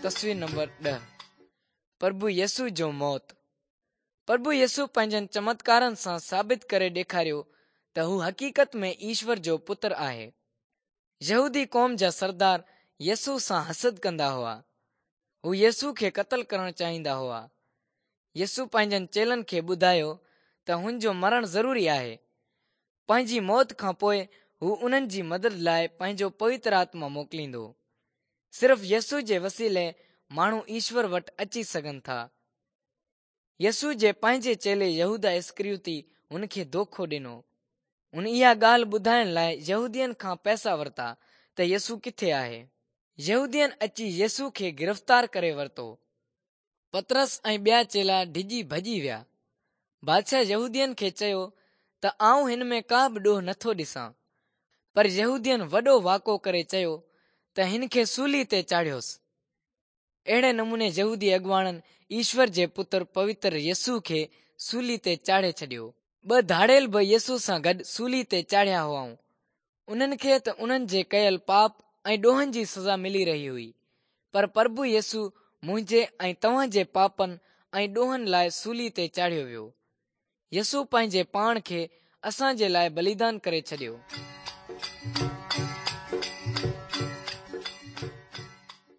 تصوير نمبر 10، پرڀو يسوع جو موت. پرڀو يسوع پنهنجن چمتڪارن سان ثابت ڪري ڏيکاريو ته هو حقيقت ۾ ايشور جو پتر آهي. يهودي قوم جا سردار يسوع سان حسد ڪندا هئا. هو يسوع کي قتل ڪرڻ چاهيندا هئا. يسوع پنهنجن چيلن کي ٻڌايو ته هن جو مرڻ ضروري آهي. پنهنجي موت کان پوء هو انهن جي مدد لاء پنهنجو پوتر آتما موڪليندو. صرف يسوع جي وسيلي ماڻهو ايشور وٽ اچي سگهن ٿا. يسوع جي پنهنجي چيلي يهوداه اسڪريوتي هن کي دوکو ڏنو. هن اها ڳالهه ٻڌائڻ لاء يهودين کان پئسا ورتا ته يسوع ڪٿي آهي. يهودين اچي يسوع کي گرفتار ڪري ورتو. پطرس ۽ ٻيا چيلا ڊڄي ڀڄي ويا. بادشاهه يهودين کي چيو ته آئون هن ۾ ڪا به ڏوهه نٿو ڏسان. پر يهودين وڏو واڪو ڪري چيو ته هن کي سولي تي چاڙهيوس. اهڙي نموني يهودي اڳواڻن ايشور جي پتر پوتر يسوع کي سولي تي چاڙهي ڇڏيو. ٻه ڌاڙيل به يسوع سان گڏ سولي تي چاڙهيا هئائون. انهن کي ته انهن جي ڪيل پاپ ۽ ڏوهن جي سزا ملي رهي هئي، پر پرڀو يسوع منهنجي ۽ توهان جي پاپن ۽ ڏوهن لاء سولي تي چاڙهيو ويو. يسوع پنهنجي پاڻ کي اسان جي لاء بليدان ڪري ڇڏيو.